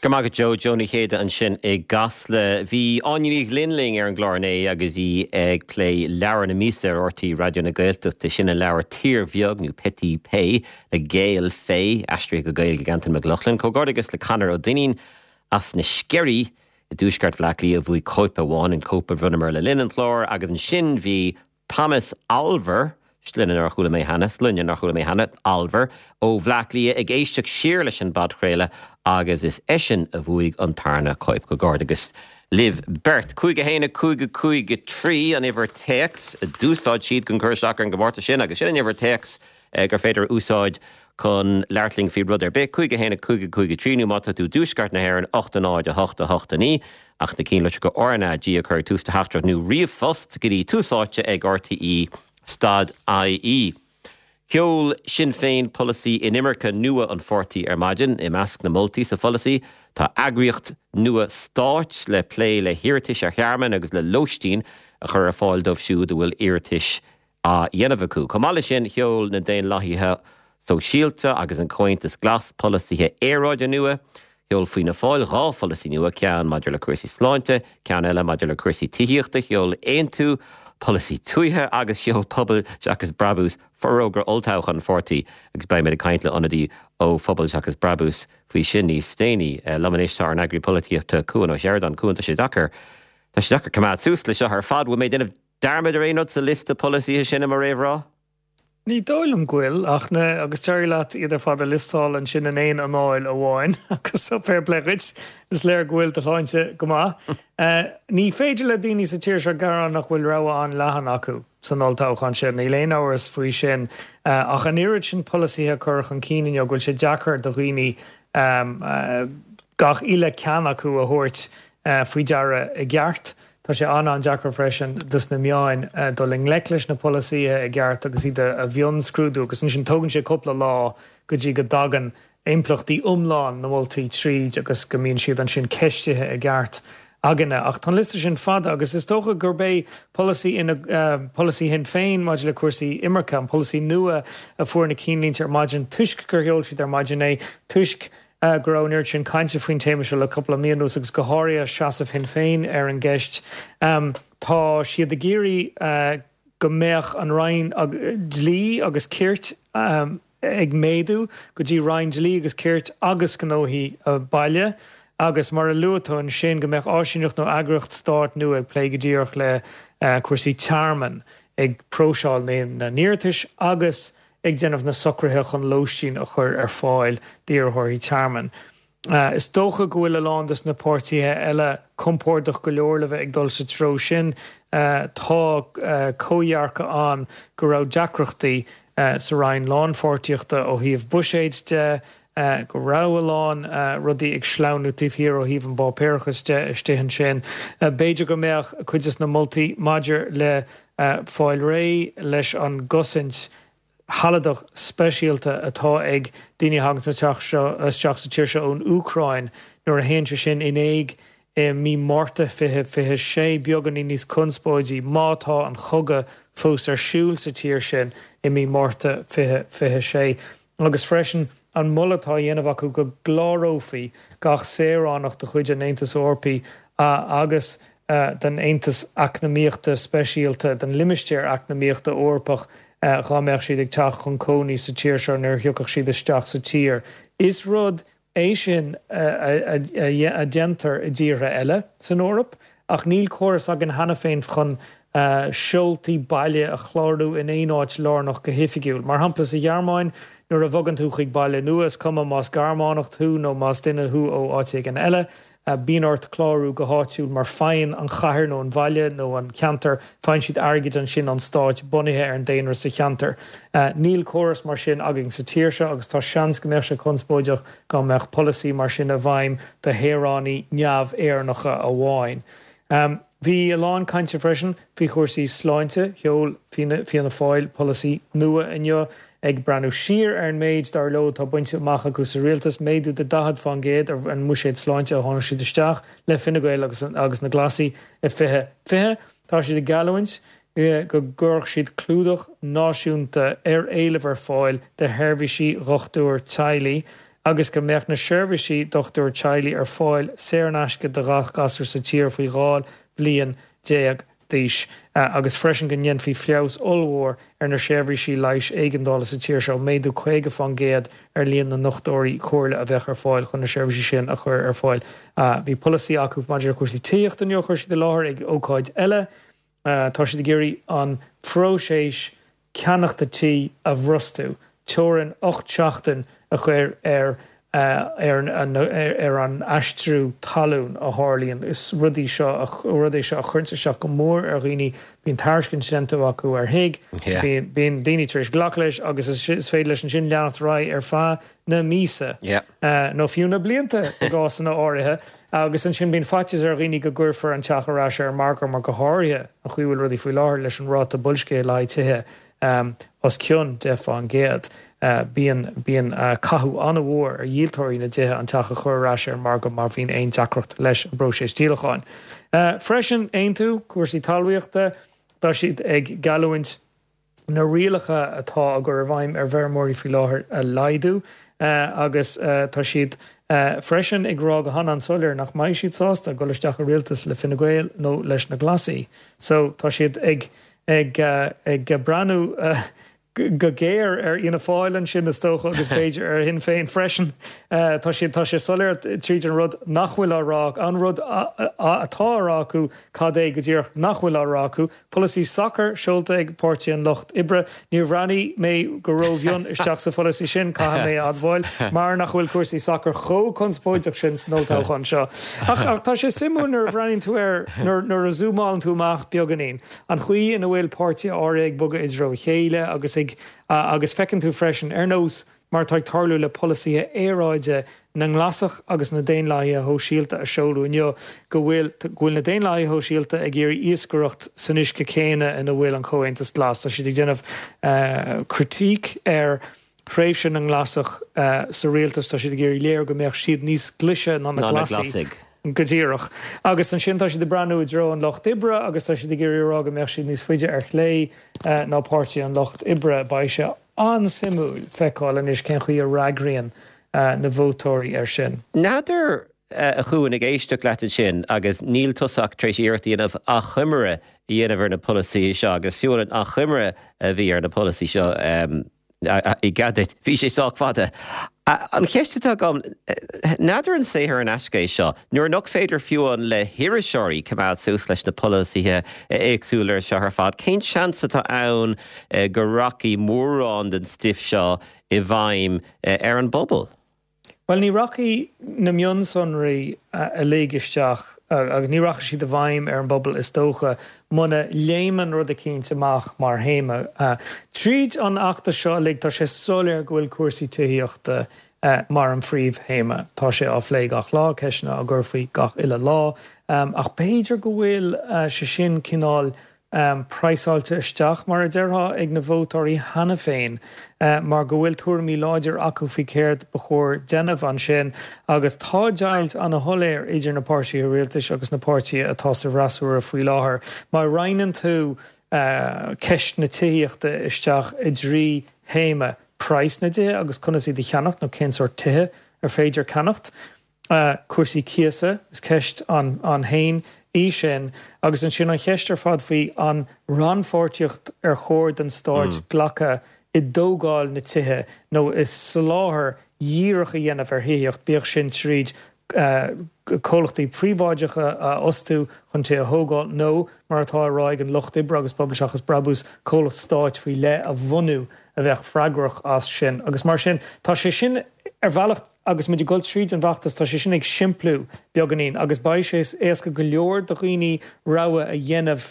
Go raibh maith agat Joe, Joe Ní Chéide ansin i gCasla. Bhí Áine Ní Ghlinn linn ar an gclár inné agus í ag plé leabhar na míosa ar RTÉ Raidió na Gaeltachta, sin an leabhar Tír Bheag nó Petit Pays le Gaël Faye, aistrithe go Gaeilge ag Antain Mac Lochlainn. Comhghairdeas le Conor Ó Duinnín as na Sceirí i dtuaisceart Bhaile Átha Cliath a bhuaigh cóip amháin, an cóip a bhronnamar le linn an chláir agus ansin bhí Thomas Olver, sloinne nár chuala mé cheana, sloinne nár chuala mé cheana, Olver, ó Bhleá Cliath ag éisteacht siar leis an bpodchraoladh agus is eisean a bhuaigh an tarna cóip. Comhghairdeas libh beirt. 5 1 5 5 3 an uimhir téacs a d'úsáid siad chun cur isteach ar an gcomórtas sin agus sin an uimhir téacs gur féidir a úsáid chun labhairt linn faoi rud ar bith, 5 1 5 5 3 nó má tá tú i dtuaisceart na hÉireann, 8 0 8 8 9, ach na cinnlitreacha RnaG a chur ag tús do theachtaireacht nó ríomhphost go dtí Tús Áite ag RTÉ stad IE. Sheol Sinn Féin polasaí inimirce nua an pháirtí ar maidin. I measc na moltaí sa pholasaí tá eagraíocht nua stáit le plé le hiarratais ar thearmann agus le lóistín a chur ar fáil dóibh siúd a bhfuil iarratais á dhéanamh acu. Chomh maith leis sin, sheol na Daonlathaithe Sóisialta agus an Comhaontas Glas polasaithe aeráide nua. Sheol Fianna Fáil 2 pholasaí nua, ceann maidir le cúrsaí sláinte, ceann eile maidir le cúrsaí tithíochta. Sheol Aontú polasaí tuaithe agus sheol Pobal Seachas Brabús forógra olltoghcháin an pháirtí agus beidh muid ag caint le ionadaí ó Phobal Seachas Brabús faoi sin níos déanaí. Liom anois tá ár n-eagraí polaitíochta Cuan Ó Seireadáin. Cuan, tá sé deacair, tá sé deacair coimeád suas le seo ar fad. Bhfuil mé ag déanamh Dearmad ar aon rud sa liosta polasaithe sin i mo réamhrá? Ní dóigh liom go bhfuil, ach na, agus d'éirigh leat iad ar fad a liostáil ansin in aon anáil amháin, agus fair play dhuit, is léir go bhfuil do shláinte go maith. Ní féidir le daoine sa tír seo gearán nach bhfuil rogha an-leathan acu san olltoghchán seo, níl aon amhras faoi sin. Ach an oiread sin polasaithe a curtha chun cinn inniu go bhfuil sé deacair do dhaoine gach uile ceann acu a thabhairt faoi deara i gceart. Tá sé an-an-deacair freisin dos na meáin dul i ngleic leis na polasaithe i gceart agus iad a mhionscrúdú agus ansin tógann sé cúpla lá go dtí go dtagann impleachtaí iomlán na moltaí tríd agus go mbíonn siad ansin ceistithe i gceart againne. Ach tá an liosta sin fada agus is dócha gurb é polasaí polasaí Shinn Féin maidir le cúrsaí imirce, an polasaí nua a fuair na cinnlínte ar maidin toisc gur sheol siad ar maidin é, toisc go raibh an oiread sin cainte faoin téama seo le cúpla mí anuas agus go háirithe seasamh Shinn Féin ar an gceist. Tá siad ag iarraidh go mbeadh an Roinn Dlí agus Cirt ag méadú go dtí Roinn Dlí agus Cirt agus Gnóthaí Baile agus mar a luaigh tú ansin go mbeadh áisíneacht nó eagraíocht stáit nua ag plé go díreach le cúrsaí tearmainn, ag próiseáil na n-iarratais agus ag déanamh na socruithe chun lóistín a chur ar fáil d'iarrthóirí tearmainn. Is dócha go bhfuil a lán de na páirtithe eile compordach go leor le bheith ag dul sa treo sin. Tá comhdhearcadh ann go raibh deacrachtaí sa Roinn Lánpháirtíochta ó thaobh buiséid de, go raibh a lán rudaí ag sleamhnú taobh thiar ó thaobh an bpáipéarachas de istigh ansin. B'fhéidir go mbeadh cuid de na moltaí maidir le fáil réidh leis an gcosaint shealadach speisialta atá ag daoine a thagann isteach sa tír seo ón Úcráin nuair a théann sé sin in éag i mí Márta 2026, beagáinín níos conspóidí má tá an chogadh fós ar siúl sa tír sin i mí Márta 2026. Agus freisin an moladh atá á dhéanamh acu go gclárófaí gach saoránach de chuid an Aontais Eorpaigh agus den Aontas Eacnamaíochta Speisialta, den Limistéar Eacnamaíochta Eorpach, dhá mbeadh siad ag teacht chun cónaí sa tír seo nuair a thiocfadh siad isteach sa tír. Is rud é sin a dhéantar i dtíortha eile san Eoraip, ach níl córas againn cheana féin chun seoltaí baile a chlárú in aon áit lárnach go hoifigiúil. Mar shampla, sa Ghearmáin, nuair a bhogann tú chuig baile nua, is cuma más Gearmánach thú nó más duine thú ó áit éigin eile, bíonn ort clárú go háitiúil mar faigheann an chathair nó an bhaile nó an ceantar, faigheann siad airgead ansin ón stáit bunaithe ar an daonra sa cheantar. Níl córas mar sin againn sa tír seo agus tá seans go mbeadh sé conspóideach dá mbeadh polasaí mar sin i bhfeidhm do shaoránaigh neamh-Éireannacha amháin. Bhí a lán cainte freisin faoi chúrsaí sláinte. Sheol Fianna Fáil polasaí nua inniu ag breathnú siar ar an méid, dar leo, atá bainte amach acu sa rialtas, méadú de 40 fán gcéad ar an mbuiséad sláinte a tháinig siad isteach le Fine Gael agus agus na Glasaigh i 2020. Tá siad ag geallúint go gcuirfeadh siad clúdach náisiúnta ar éileamh ar fáil de sheirbhísí dhochtúir teaghlaigh. agus go mbeadh na seirbhísí dochtúir teaghlaigh ar fáil saor in aisce do ghach gasúr sa tír faoi 12 bhliain d'aois agus freisin go ndéanfaí feabhas ollmhór ar na seirbhísí leighis éigeandála sa tír seo, méadú 50% ar líon na ndochtúirí comhairle a bheadh ar fáil chun na seirbhísí sin a chur ar fáil. Bhí polasaí acu maidir le cúrsaí tithíochta inniu a chuir siad i láthair ag ócáid eile. Tá siad ag iarraidh an phróiseas ceannachta tí a bhrostú, teorainn 8 seachtain a chur ar ar an aistriú talún a tharlaíonn. Is rud í seo rud é seo a chuireanns isteach go mór ar dhaoine. Bíonn tairiscint déanta acu ar thigh, bíonn daoine tar éis glacadh leis agus is féidir leis ansin leanacht ar aghaidh ar feadh na míosa, nó fiú na blianta i gcásanna áirithe, agus ansin bíonn faitíos ar dhaoine go gcuirfear an teach ar ais ar an margadh mar go háirithe an chaoi a bhfuil rudaí faoi láthair leis an ráta boilscithe le haghaidh tithe os cionn 10%. Bíonn bíonn cathú an-mhór ar dhíoltóirí na dtithe an teach a chur ar ais ar an margadh má bhíonn aon deacracht leis an bpróiseas díolacháin. Freisin, Aontú, cúrsaí talmhaíochta, tá siad ag geallúint. na rialacha atá á gcur i bhfeidhm ar bhfeirmeoirí faoi láthair a laghdú agus tá siad freisin ag rá go han-an-soiléir nach mbeidh siad sásta dul isteach i rialtas le Fine Gael nó leis na Glasaigh. So tá siad ag ag ag breathnú go géar ar Fhianna Fáil ansin is dócha agus b'fhéidir ar Shinn Féin freisin. Tá siad tá sé soiléir tríd an rud nach bhfuil á rá an rud atá á rá acu cad é go díreach nach bhfuil á rá acu. Polasaí sacair seolta ag Páirtí an Lucht Oibre. Níor bhreathnaigh mé go rómhion isteach sa pholasaí sin, caithfidh mé a admháil, mar nach bhfuil cúrsaí sacair chomh conspóideach sin san olltoghchán seo. Ach tá sé suimiúil nuair a bhreathnaíonn tú air, nuair a zúmálann tú amach beagáinín, an chaoi ina bhfuil páirtithe áirithe ag bogadh i dtreo a chéile agus ag, agus feiceann tú freisin, ar nós mar atá ag tarlú le polasaithe aeráide na nGlasach agus na Daonlathaithe Shóisialta a seoladh inniu, go bhfuil go bhfuil na Daonlathaithe Shóisialta ag iarraidh iascaireacht san uisce céanna ina bhfuil an Comhaontas Glas. Tá siad ag déanamh critíc ar thréimhse na nGlasach sa rialtas, tá siad ag iarraidh léiriú go mbeadh siad níos glaise ná na Glasaigh. Go díreach. Agus ansin tá siad ag breathnú i dtreo an Lucht Oibre agus tá siad ag iarraidh a rá go mbeadh siad níos faide ar chlé ná Páirtí an Lucht Oibre. Beidh sé an-suimiúil feiceáil anois cén chaoi a fhreagraíonn na vótóirí air sin. N'fheadar, a Chuain, ag éisteacht leat ansin, agus níl tusa ach tar éis iarracht a dhéanamh achoimre a dhéanamh ar na polasaithe seo, agus fiú an achoimre a bhí ar na polasaithe seo, i gcead duit, bhí sé sách fada. An cheist atá agam, n'fheadar an saothar in aisce é seo, nuair nach féidir fiú amháin le hiriseoirí coimeád suas leis na polasaithe éagsúla seo ar fad, cén seans atá ann go rachaidh mórán den stuif seo i bhfeidhm ar an bpobal? Bhuel, ní rachaidh na mionsonraí uilig isteach agus ní rachaidh siad i bhfeidhm ar an bpobal is dócha muna léimeann rud eicínt amach mar théama. Tríd an fheachtas seo uilig tá sé soiléir go bhfuil cúrsaí tithíochta mar an phríomhthéama. Tá sé á phlé gach lá, ceisteanna á gcur faoi gach uile lá. Ach b'fhéidir go bhfuil sé sin cineál praghsáilte isteach, mar a déarfá, ag na vótóirí cheana féin mar go bhfuil tuairimí láidir acu faoi céard ba chóir déanamh ansin agus tá deighilt ana-shoiléir idir na páirtithe rialtais agus na páirtithe atá sa bhfreasúra faoi láthair. Má roinneann tú ceist na tithíochta isteach i dtrí théama, praghas na dtithe agus conas iad a cheannacht nó cén sórt tithe ar féidir ceannacht, cúrsaí cíosa, is ceist ann féin í sin, agus ansin an cheist ar fad faoi an rannpháirtíocht ar chóir don stáit glacadh i dtógáil na tithe nó i soláthar dhíreach a dhéanamh ar thithíocht, bíodh sin tríd comhlachtaí príobháideacha a fhostú chun tithe a thógáil nó, mar atá á rá ag an Lucht Oibre agus Pobal Seachas Brabús, comhlacht stáit faoi leith a bhunú a bheadh freagrach as sin. Agus mar sin, tá sé sin ar bhealach, Agus muid ag dul tríd an bhfeachtas, tá sé sin ag simpliú beagáinín agus beidh sé éasca go leor do dhaoine rogha a dhéanamh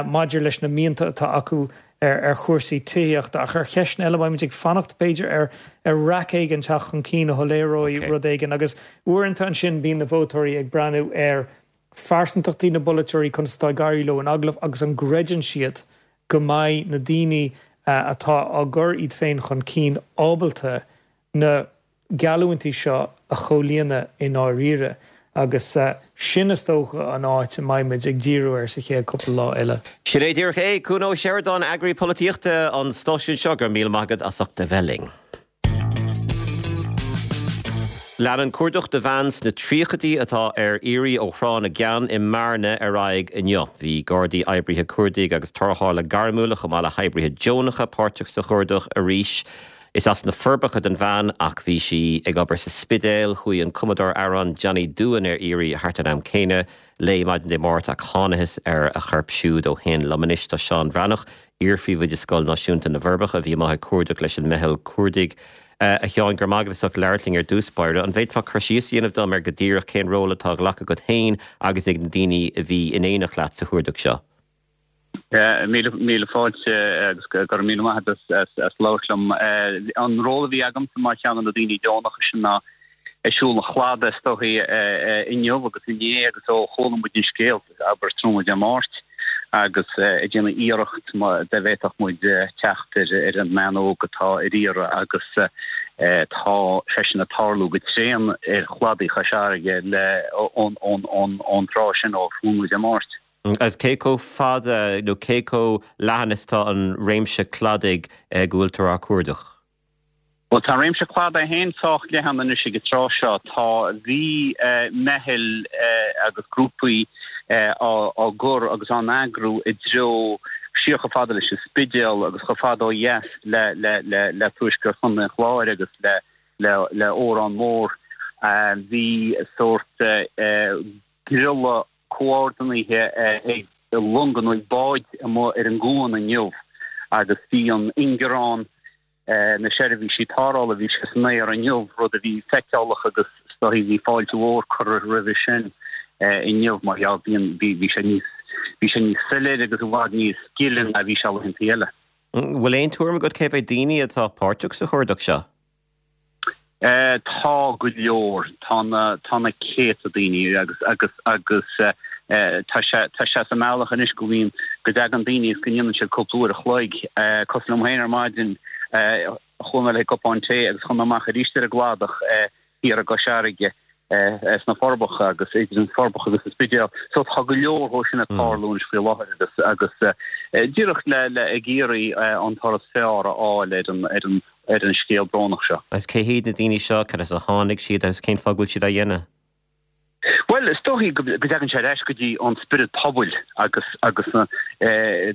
maidir leis na mianta atá acu ar chúrsaí tithíochta. Ach ar cheisteanna eile, beidh muid ag fanacht, b'fhéidir, ar ar raic éigin teacht chun cinn a shoiléireoidh rud éigin. Agus uaireanta ansin bíonn na vótóirí ag breathnú ar phearsantachtaí na bpolaiteoirí, conas atá ag éirí leo in agallamh agus an gcreideann siad go mbeidh na daoine atá á gcur iad féin chun cinn ábalta na geallúintí seo a chomhlíonadh i ndáiríre agus sin is dócha an áit a mbeidh muid ag díriú air sa chéad cúpla lá eile. Sin é díreach é. Cuan Ó Seireadáin, Eagraí Polaitíochta an stáisiúin seo, go raibh míle maith agat as ucht a bheith linn. Leanann cuardach do bhean sna tríochaidí atá ar iarraidh ó Thrá na gCeann i mBearna ar aghaidh inniu. Bhí Gardaí, oibrithe cuardaigh agus tarrthála gairmiúla chomh maith le hoibrithe deonacha páirteach sa chuardach arís. Is as na Forbacha don bhean ach bhí sí ag obair sa Spidéal. Chuaigh an cumadóir amhrán Johnny Doohan ar iarraidh thart an am céanna léi maidin Dé Máirt ach thánathas ar a chorp siúd ó shin. Liom anois tá Seán Bhreathnach, iar-phríomhoide Scoil Náisiúnta na bhForbacha a bhí amuigh ag cuardach leis an meitheal cuardaigh. A Sheáin, go raibh maith agat as ucht labhairt linn ar dtús báire. An bhféadfá cur síos a dhéanamh dom ar go díreach cén ról atá á ghlacadh agat féin agus ag na daoine a bhí in éineacht leat sa chuardach seo? Míle fáilte agus go raibh míle maith agat as labhairt liom. An ról a bhí agamsa mar cheann de na daoine deonacha sin ná ag siúl an chladaigh is dóichí inniu agus inné agus ó chuala muid an scéal, abair tráthnóna Dé Máirt, agus ag déanamh iarracht dá bhféadfadh muid teacht ar an mbean óg atá ar iarraidh agus tá sé sin ag tarlú go tréan ar chladaí Chois Fharraige le ón tráth sin ó thráthnóna Dé Máirt. Agus cé chomh fada nó cé chomh leathan is atá an réimse cladaigh go bhfuiltear á cuardach? Bhuel, tá an réimse cladaigh é féin sách leathan anois ag an tráth seo. Tá, bhí meitheal agus grúpaí á gcur agus á n-eagrú i dtreo siar chomh fada leis an Spidéal agus chomh fada ó dheas le le tuaisceart Chontae an Chláir agus le le Órán Mór. Bhí sórt druile comhordaithe ag longa nó ag báid amuigh ar an gcuan inniu agus bhí an ingearán na seirbhísí tarrthála, bhí sé san aer inniu, rud a bhí feiceálach agus is dóichí bhí fáilte mhór curtha roimhe sin inniu mar gheall bíonn, bhí sé níos, bhí sé níos soiléire agus i bhfad níos gile ná bhí sé laethanta eile. Bhfuil aon tuairim agat cé mhéad daoine atá páirteach sa chuardach seo? Tá go leor. Tá na, tá na céadta daoine agus, agus, agus tá sé, tá sé sa mbealach anois go mbíonn, go dtagann daoine agus go ndéanann siad cúpla uair a chloig. Cosúil liom féin ar maidin, chuaigh mé le cupán tae agus chuaigh mé amach arís ar an gcladach thiar i gCois Fharraige sna Forbacha agus idir an Forbacha agus an Spidéal. So tá go leor dhó sin ag tarlú anois faoi láthair agus, agus díreach le, le ag iarraidh an toradh is fearr a fháil ar an, ar an, ar an scéal brónach seo. Agus cé hiad na daoine seo, cad as a tháinig siad agus cén fáth go bhfuil siad á dhéanamh? Bhuel, is dóichí go dtagann sé ar ais go dtí an spiorad pobail agus agus na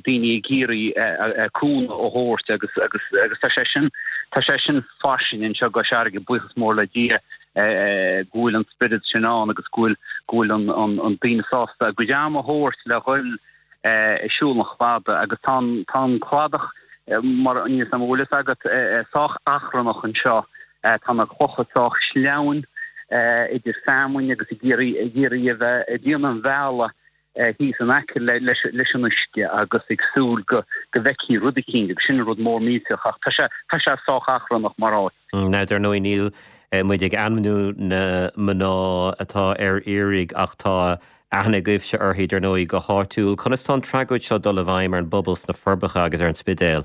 daoine ag iarraidh cúnamh a thabhairt agus agus agus tá sé sin tá sé sin fairsing anseo i gCois Fharraige, buíochas mór le Dia go bhfuil an spiorad sin ann agus go bhfuil go bhfuil an an an daoine sásta a gcuid ama a thabhairt le dhul ag siúl an chladaigh agus tá an tá an cladach mar níl 'fhios a'm an bhfuil fhios agat sách achrannach anseo. Tá na clocha sách sleamhain idir feamainn agus ag iarraidh ag iarraidh a bheith ag déanamh an bhealaigh thíos in aice leis leis an uisce agus ag súil go go bhfeicfí rud eicínt agus sin an rud mór millteach ach tá sé tá sé sách achrannach mar áit. Now dar ndóigh níl muid ag ainmniú na mná atá ar iarraidh ach tá Aithne agaibhse uirthi, dar ndóigh, go háitiúil. Conas tá an tragóid seo dul i bhfeidhm ar an bpobal sna Forbacha agus ar an Spidéal?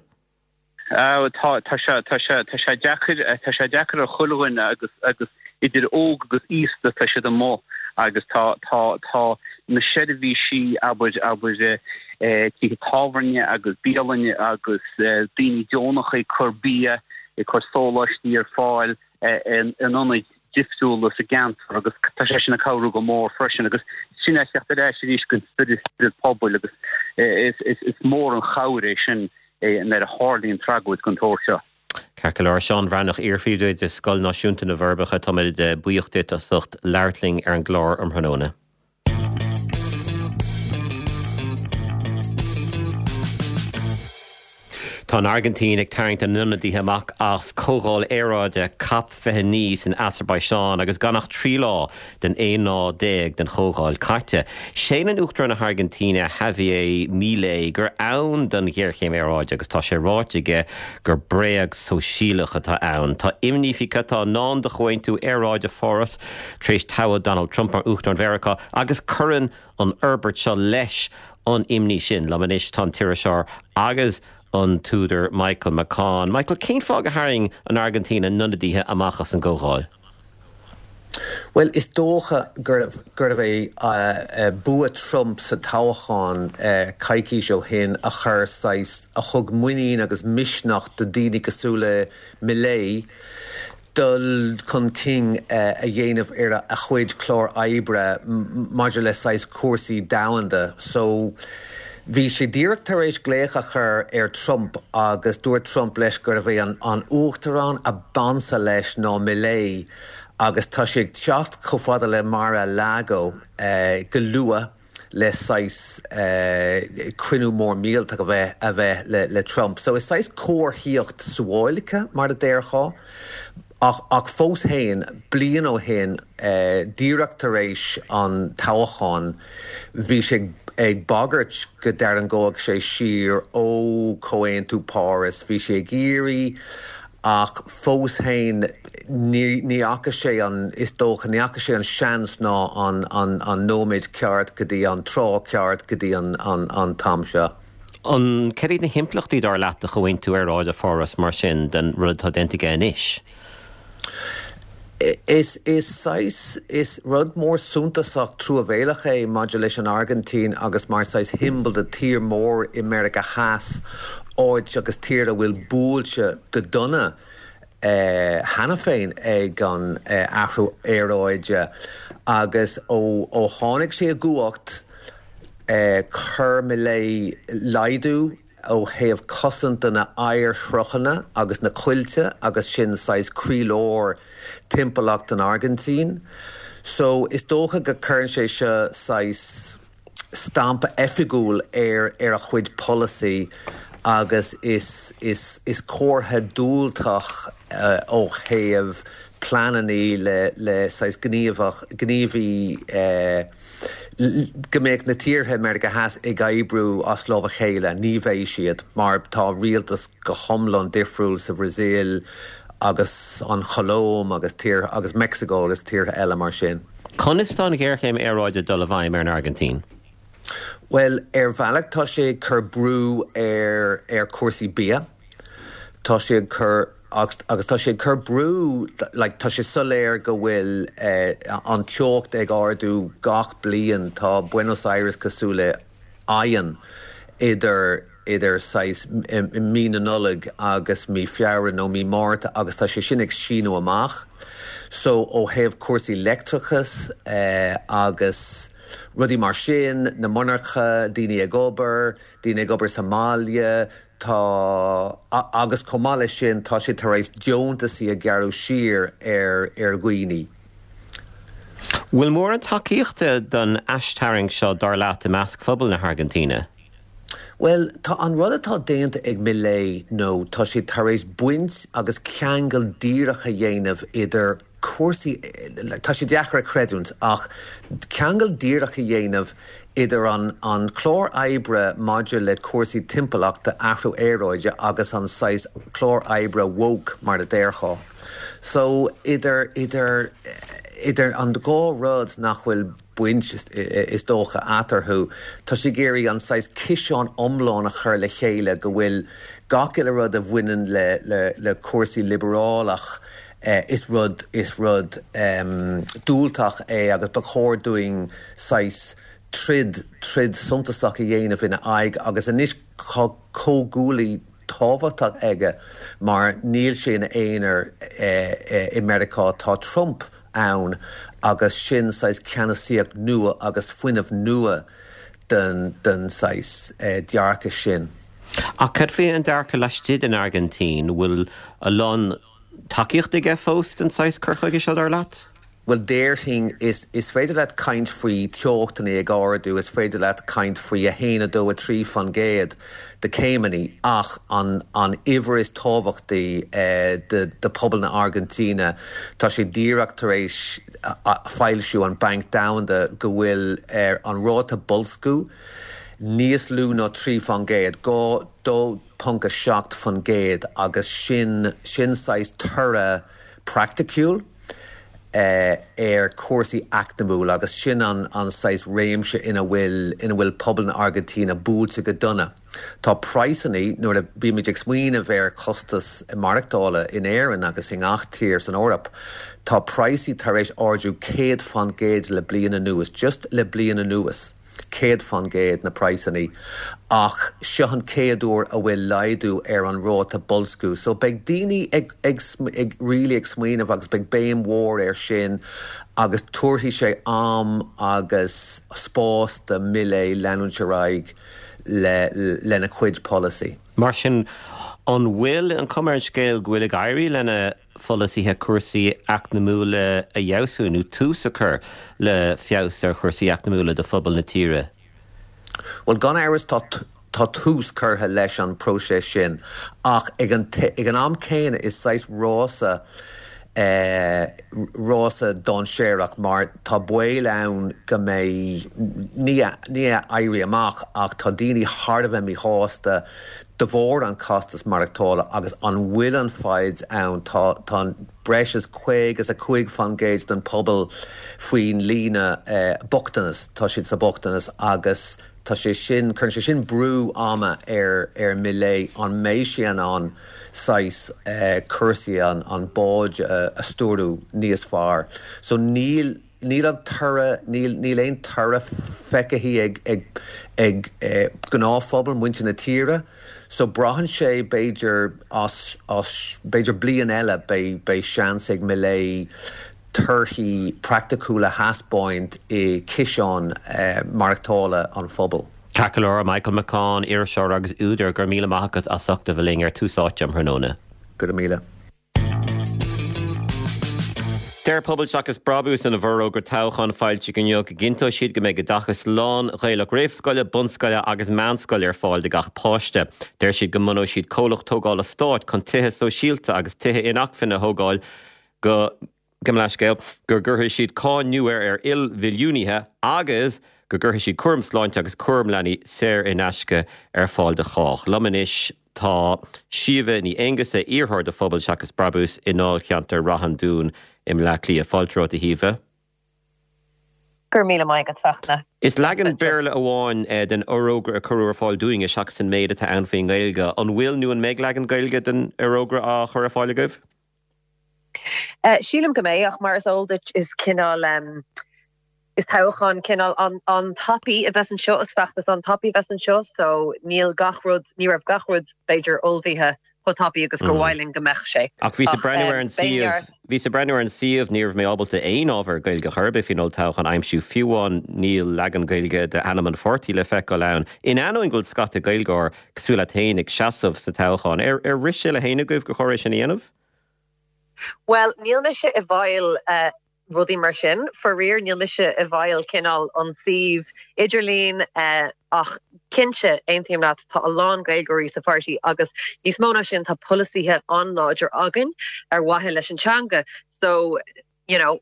Tá, tá sé, tá sé, tá sé deacair, tá sé deacair ar chuile dhuine agus, agus idir óg agus aosta tá siad amuigh agus tá, tá, tá na seirbhísí, abair, abair, tithe tábhairne agus bialainne agus daoine deonacha ag cur bia, ag cur sóláistí ar fáil, in ionaid difriúla sa gceantar agus tá sé sin ag cabhrú go mór freisin agus sin é teacht ar ais arís go spiorad spiorad pobail agus is mór an chabhair é sin nuair a tharlaíonn tragóid den tsórt seo. Ceart go leor. Seán Bhreathnach, iar-phríomhoide Scoil Náisiúnta na bhForbacha, táimid buíoch duit as ucht labhairt linn ar an gclár um thráthnóna. Tá an Airgintín ag tarraingt a n-ionadaithe amach as Comhdháil Aeráide Cop 29 san Asarbaiseáin agus gan ach 3 lá den 11 lá den chomhdháil caite. Séanann Uachtarán na hAirgintíne Javier Milei gur ann don ghéarchéim aeráide agus tá sé ráite aige gur bréag sóisialach atá ann. Tá imní faoi cad tá i ndán do Chomhaontú Aeráide Pháras tar éis toghadh Donald Trump mar Uachtarán Mheiriceá agus cuireann an fhorbairt seo leis an imní sin. Liom anois tá an t-iriseoir agus an t-údar Michael McCaughan. Michael, cén fáth gur tharraing an Airgintín a n-ionadaithe amach as an gcomhdháil? Bhuel, is dócha gurbh é bua Trump sa toghchán coicís ó shin a chuir saghas, a thug muinín agus misneach do daoine cosúil le Milei. dul chun cinn a dhéanamh ar a chuid clár oibre maidir le saghas cúrsaí domhanda. So, bhí sé díreach tar éis glaoch a chur ar Trump agus dúirt Trump leis gurbh é an uachtarán a b'ansa leis ná Milei agus tá sé ag teacht chomh fada le Mar-a-Lago go luath. le saghas cruinniú mór millteach a bheith a bheith le le Trump. So is saghas comharthaíocht suáilce mar a déarfá ach ach fós féin bliain ó shin díreach tar éis an toghcháin bhí sé ag bagairt go dtarraingeodh sé siar ó Chomhaontú Páras. Bhí sé ag iarraidh Ach fós féin, ní fhaca sé an, is dócha, ní fhaca sé an seans ná an nóiméad ceart go dtí an tráth ceart go dtí an t-am seo. An, cad iad na himpleachtaí, dar leat, do Chomhaontú Aeráide Pháras mar sin, den rud atá déanta aige anois? Is, is saghas, is rud mór suntasach truamhéalach é maidir leis an Airgintín agus mar saghas shiombail de tír mór i Meiriceá Theas, áit agus tír a bhfuil buailte go dona cheana féin ag an athrú aeráide agus ó ó tháinig sé i gcumhacht chuir Milei laghdú ó thaobh cosaint do na oighearshruthanna agus na coillte agus sin saghas croílár timpeallacht an Airgintín. So is dócha go cuireann sé seo saghas stampa oifigiúil ar ar a chuid polasaí agus is is is comhartha diúltach ó thaobh pleanannaí le le saghas gníomhach gníomhaí eh go mbeadh na tíortha i Meiriceá Theas ag oibriú as lámh a chéile. Ní bheidh siad, mar tá rialtas go hiomlán difriúil sa Bhrasaíl agus an Cholóim agus tíortha agus Meicsiceo agus tíortha eile mar sin. Conas tá an ghéarchéim aeráide ag dul i bhfeidhm ar an Airgintín? Bhuel, ar bhealach tá sé ag cur brú ar ar chúrsaí bia. Tá sé ag cur. Agus tá sé ag cur brú, like, tá sé soiléir go bhfuil an teocht ag ardú gach bliain, tá Buenos Aires cosúil le oigheann idir, idir saghas mí na Nollag agus mí Feabhra nó mí Márta agus tá sé sin ag síneadh amach. So ó thaobh cúrsaí leictreachas agus rudaí mar sin, na monarcha, daoine ag obair, daoine ag obair sa mbaile, Tá, agus chomh maith leis sin, tá sé tar éis deontasaí a ghearradh siar ar ar dhaoine. Bhfuil mórán tacaíochta don aistarraingt seo, dar leat, i measc phobal na hAirgintíne? Bhuel, tá an rud atá déanta ag Milei nó tá sé tar éis baint agus ceangal díreach a dhéanamh idir cúrsaí, tá sé deacair a chreidiúint, ach ceangal díreach a dhéanamh idir an an clár oibre maidir le cúrsaí timpeallachta, athrú aeráide agus an saghas clár oibre woke mar a déarfá. So idir idir idir an dhá rud nach bhfuil baint is dócha eatarthu, tá sé ag iarraidh an saghas ciseán iomlán a chur le chéile go bhfuil gach uile rud a bhaineann le le le cúrsaí liobrálach Is rud, is rud diúltach é agus ba chóir dúinn saghas troid, troid suntasach a dhéanamh ina aghaidh agus anois tá comhghuaillí tábhachtach aige mar níl sé ina aonar i Meiriceá, tá Trump ann agus sin saghas ceannasaíocht nua agus fuinneamh nua den, den saghas dearcadh sin. Ach cad faoi an dearcadh laistigh den Airgintín, bhfuil a lán. tacaíocht aige fós don saghas cur chuige seo, dar leat? Bhuel, déarfainn, is is féidir leat caint faoi teochtanna ag ardú, is féidir leat caint faoi 1, 2, 3% de céimeanna ach an an uimhir is tábhachtaí do do pobal na Airgintíne, tá sé díreach tar éis foilsiú an Banc Domhanda go bhfuil an ráta boilsciú níos lú ná 3%, 2, 2, 0.7% agus sin, sin saghas toradh praiticiúil ar chúrsaí eacnamúla agus sin an, an saghas réimse ina bhfuil, ina bhfuil pobal na Airgintíne buailte go dona. Tá praghsanna, nuair a bímid ag smaoineamh ar chostas maireachtála in Éirinn agus i ngach tír san Eoraip, tá praghsaí tar éis ardú 100% le bliain anuas, just le bliain anuas. 100% na praghsanna ach seo an chéad uair a bhfuil laghdú ar an ráta boilsciú so beidh daoine ag ag ag really ag smaoineamh agus beidh béim mhór air sin agus tabharfaidh sé am agus spás do Milei leanúint ar aghaidh le lena chuid polasaí. Mar sin, an bhfuil an chuma ar an scéal go bhfuil ag éirí lena pholasaithe cúrsaí eacnamúla a fheabhsú nó tús a chur le feabhas ar chúrsaí eacnamúla do phobal na tíre? Bhuel, gan amhras tá tá tús curtha leis an próiseas sin ach ag an ag an am céanna is saghas rása rása dainséarach mar tá baol ann go mbeidh, ní ní éirí amach ach tá daoine thar a bheith míshásta de bharr an costas maireachtála agus an bhfuil an fhadhb ann, tá tá breis is 55% den pobal faoin líne bochtanas, tá siad sa bochtanas agus tá sé sin, cuireann sé sin brú ama ar ar Milei an mbeidh sé in ann saghas cúrsaí an an bád a stiúradh níos fearr. So níl níl an toradh, níl níl aon toradh feicthe ag ag ag gnáthphobal, muintir na tíre. So braitheann sé b'fhéidir as as b'fhéidir bliain eile beidh beidh seans ag Milei torthaí praiticiúla a thaispeáint i ciseán maireachtála an phobail. Ceart go leor, Michael McCaughan, iriseoir agus údar, go raibh míle maith agat as ucht a bheith linn ar Tús Áite um thráthnóna. Go raibh míle. Deir Pobal Seachas Brabús ina bhforógra toghcháin foilsithe inniu go gcinnteoidh siad go mbeidh oideachas lán-Ghaelach réamhscoile, bunscoile agus meánscoile ar fáil do gach páiste. Deir siad go mbunóidh siad comhlacht tógála stáit chun tithe sóisialta agus tithe inacmhainne a thógáil go, gabh mo leithscéal, go gcuirfidh siad cáin nua ar ilmhilliúnaithe agus go gcuirfidh siad cúram sláinte agus cúram leanaí saor in aisce ar fáil do chách. Liom anois tá Síomha Ní Aonghusa, iarrthóir do Phobal Seachas Brabús i ndáilcheantar Ráth an Dúin i mBleá Cliath. Fáilte romhat a Shíomha. Go raibh míle maith agat, Fachtna. Is leagan Béarla amháin den fhorógra a cuireadh ar fáil dúinne seachas an méid atá ann faoin nGaeilge. An bhfuil nó an mbeidh leagan Gaeilge den fhorógra á chur ar fáil agaibh? Sílim go mbeidh, ach mar is eol duit is cineál, is toghchán cineál an-tapaidh a bheas anseo, is feachtas an-tapaidh a bheas anseo so níl gach rud, ní raibh gach rud b'fhéidir ullmhaithe chomh tapaidh agus gur mhaith linn go mbeadh sé. Ach bhíos ag breathnú ar an suíomh, bhíos ag breathnú ar an suíomh, ní raibh mé ábalta aon ábhar Gaeilge chor ar bith faoin olltoghchán a aimsiú, fiú amháin níl leagan Gaeilge d'ainm an pháirtí le feiceáil ann, in ainneoin go bhfuil scata Gaeilgeoir cosúil leat féin ag seasamh sa toghchán. Ar rith sé le héinne agaibh gur chóir é sin a dhéanamh? Bhuel, níl mise i bhfeighil rudaí mar sin. Faraor, níl mise i bhfeighil cineál an suíomh idirlín ach cinnte, aontaím leat, tá a lán Gaeilgeoirí sa pháirtí agus níos mó ná sin, tá polasaithe an-láidir againn ar mhaithe leis an teanga. So, you know,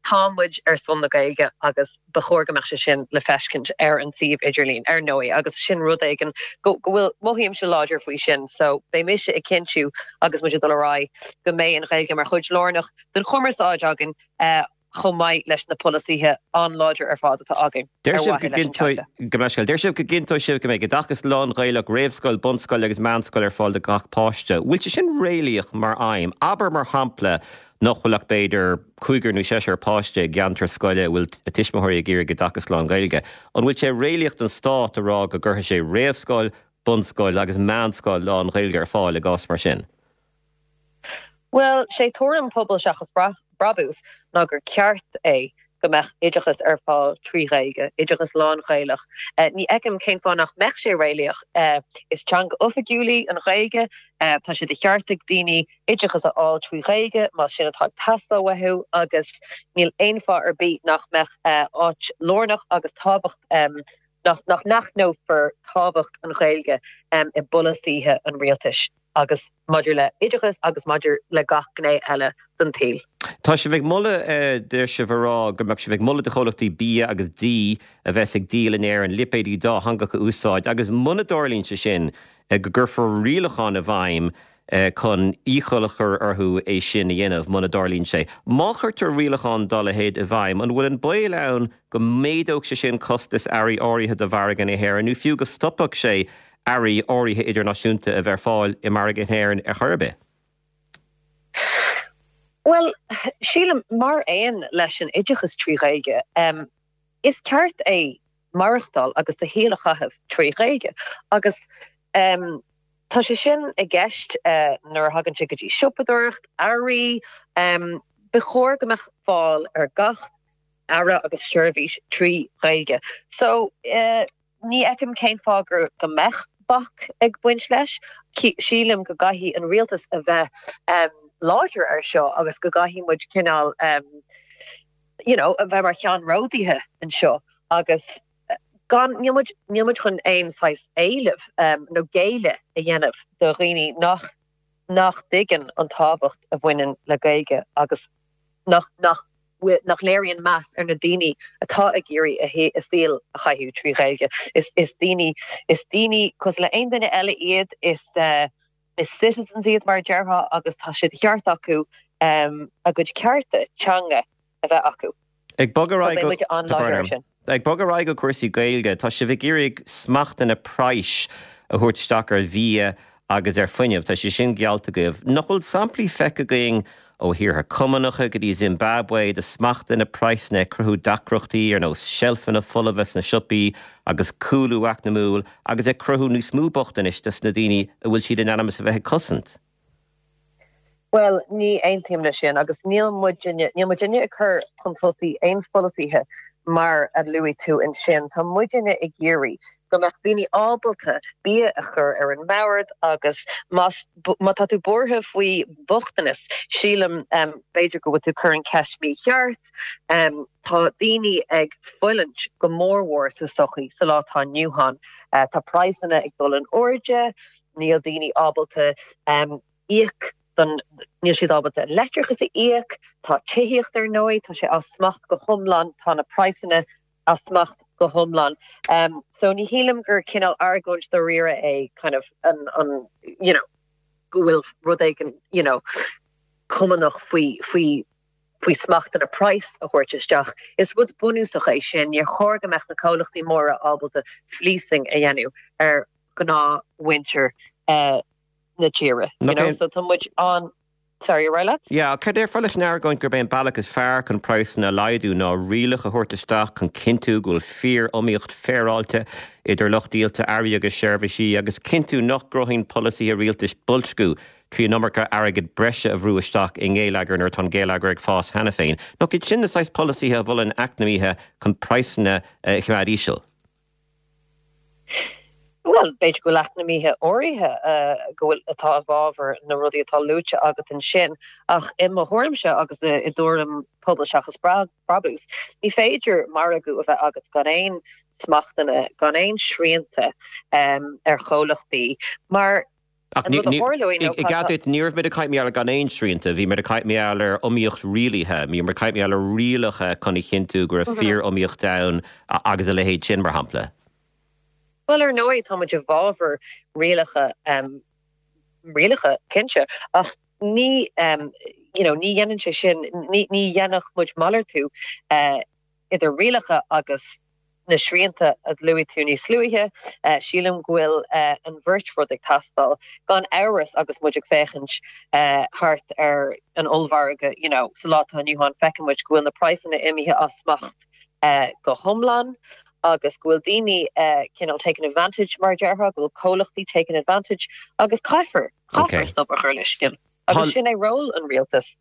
tá muid ar son na Gaeilge agus ba chóir go mbeadh sé sin le feiscint ar an suíomh idirlín, ar ndóigh, agus sin rud éigin go go bhfuil, mothaímse láidir faoi sin. So, beidh mise ag cinntiú agus muid ag dul ar aghaidh go mbeidh an Ghaeilge mar chuid lárnach den chumarsáid againn chomh maith leis na polasaithe an-láidir ar fad atá againn Deir ar sibh go mhaithe leis an teanga. Gabh mo leithscéal. Deir sibh go gcinnteoidh sibh go mbeidh oideachas lán-Ghaelach, réamhscoil, bunscoil agus meánscoil ar fáil do gach páiste. Bhfuil sé sin réalaíoch mar aidhm? Abair, mar shampla, nach bhfuil ach b'fhéidir cúigear nó seisear páiste i gceantar scoile a bhfuil a tuismitheoirí ag iarraidh oideachas lán-Ghaeilge. An bhfuil sé réalaíoch don stát a rá go gcuirfidh sé réamhscoil, bunscoil agus meánscoil lán-Ghaeilge ar fáil i gcás mar sin? Bhuel, sé tuairim Pobal Seachas Brabús ná gur ceart é go mbeadh oideachas ar fáil trí Ghaeilge, oideachas lán-Ghaelach. Ní fheicim cén fáth nach mbeadh sé réalaíoch. Is teanga oifigiúil í an Ghaeilge, tá sé de cheart ag daoine oideachas a fháil trí Ghaeilge más sin atá ag teastáil uathu agus níl aon fáth ar bith nach mbeadh áit lárnach agus tábhacht nach nach n-aithneofar tábhacht an Ghaeilge i bpolasaithe an rialtais agus maidir le oideachas agus maidir le gach gné eile den tsaol. Tá sibh ag moladh, deir sibh a rá go mbeadh sibh ag moladh do chomhlachtaí bia agus dí a bheas ag díol in Éirinn lipéidí dátheangacha a úsáid agus muna dtarlaíonn sé sin go gcuirfear rialacháin i bhfeidhm chun iachall a chur orthu é sin a dhéanamh muna dtarlaíonn sé. Má chuirtear rialachán dá leithéid i bhfeidhm, an bhfuil an baol ann go méadódh sé sin costas earraí áirithe do mhargadh na hÉireann nó fiú go stopfadh sé earraí áirithe idirnáisiúnta a bheith ar fáil i margadh na hÉireann ar chor ar bith? Bhuel, sílim, mar aon leis an oideachas trí Ghaeilge, is ceart é. maireachtáil agus do shaol a chaitheamh trí Ghaeilge. Agus tá sé sin i gceist nuair a thagann sé go dtí siopadóireacht, earraí, ba chóir go mbeadh fáil ar gach earra agus seirbhís trí Ghaeilge. So, ní fheicim cén fáth gur go mbeadh bac ag baint leis. Sílim go gcaithfidh an rialtas a bheith láidir ar seo agus go gcaithfidh muid cineál you know, a bheith mar cheannródaithe anseo agus gan, níl muid, níl muid chun aon saghas éileamh nó géilleadh a dhéanamh do dhaoine nach, nach dtuigeann an tábhacht a bhaineann le Gaeilge agus nach, nach, nach léiríonn meas ar na daoine atá ag iarraidh a saol a chaitheamh trí Ghaeilge. Is, is daoine, is daoine cosúil le aon duine eile iad, is. Is citizens iad mar a déarfá agus tá sé de cheart acu a gcuid cearta teanga a bheith acu. Ag bogadh ar aghaidh go, tá brón orm. Ag bogadh ar aghaidh go cúrsaí Gaeilge, tá sibh ag iarraidh smachtanna praghais a thabhairt isteach ar bhia agus ar fuinneamh. Tá sé sin geallta agaibh. Nach bhfuil samplaí feicthe againn ó thíortha Cumannacha go dtí Zimbabwe de smachtanna praghsanna ag cruthú deacrachtaí ar nós seilfeanna folmha sna siopaí agus cúlú eacnamúil agus ag cruthú níos mó bochtanais dos na daoine a bhfuil siad in ainm is a bheith ag cosaint. Bhuel, ní aontaím leis sin agus níl muidinne, níl muidinne ag cur chun tosaigh aon pholasaithe mar a luaigh tú ansin. Tá muidinne ag iarraidh go mbeadh daoine ábalta bia a chur ar an mbord agus más, má tá tú buartha faoi bhochtanas, sílim, b'fhéidir go bhfuil tú ag cur an cheist mícheart. Tá daoine ag fulaingt go mórmhór sa sochaí sa lá atá inniu ann. Tá praghsanna ag dul in airde, níl daoine ábalta íoc don, níl siad ábalta an leictreachas a íoc, tá tithíocht ar ndóigh, tá sé as smacht go hiomlán, tá na praghsanna as smacht go hiomlán. So ní shílim gur cineál argóint dáiríre é kind of an, an, you know, go bhfuil rud éigin, you know, cumannach faoi, faoi, faoi smachtanna praghas a thabhairt isteach. Is rud bunúsach é sin. Níor chóir go mbeadh na comhlachtaí móra ábalta fleecing a dhéanamh ar ghnáthmhuintir na tíre. You know, so tá muid an. Sorry, ar aghaidh leat? Yeah, cad déarfá leis an argóint gurb é an bealach is fearr chun praghsanna a laghdú ná rialacha a thabhairt isteach chun cinntiú go bhfuil fíor-iomaíocht féaráilte idir lucht díolta earraí agus seirbhísí agus cinntiú nach gcruthaíonn polasaithe rialtais boilsciú trí an iomarca airgead breise a bhrú isteach i ngeilleagar nuair atá an geilleagar ag fás cheana féin. Nach iad sin na saghas polasaithe a mholann eacnamaithe chun praghsanna a choimeád íseal? Bhuel, b'fhéidir go bhfuil eacnamaithe áirithe go bhfuil, atá i bhfabhar na rudaí atá luaite agat ansin, ach i mo thuairimse agus i dtuairim Pobal Seachas Brabús, ní féidir margadh a bheith agat gan aon smachtanna, gan aon srianta ar chomhlachtaí, mar Ach ní, i gcead duit, ní raibh muid ag caint mar gheall ar gan aon srianta, bhí muid ag caint mar gheall ar iomaíocht rialaithe, bhí muid ag caint mar gheall ar rialacha chun a chinntiú go raibh fíor-iomaíocht ann agus a leithéid sin, mar shampla. Bhuel, ar ndóigh, tá muid i bhfabhar rialacha, rialacha, cinnte, ach ní, you know, ní dhéanann sé sin, ní, ní dhéanfadh muid malartú idir rialacha agus na srianta a luaigh tú níos luaithe, sílim go bhfuil an bheirt rud ag teastáil. Gan amhras agus muid ag féachaint thart ar an ollmhargadh you know sa lá atá inniu ann feiceann muid go bhfuil na praghsanna imithe as smacht go hiomlán agus go bhfuil daoine cineál taking advantage mar a déarfá, go bhfuil comhlachtaí taking advantage agus caithfear, caithfear stop a chur leis sin agus sin é ról an rialtais.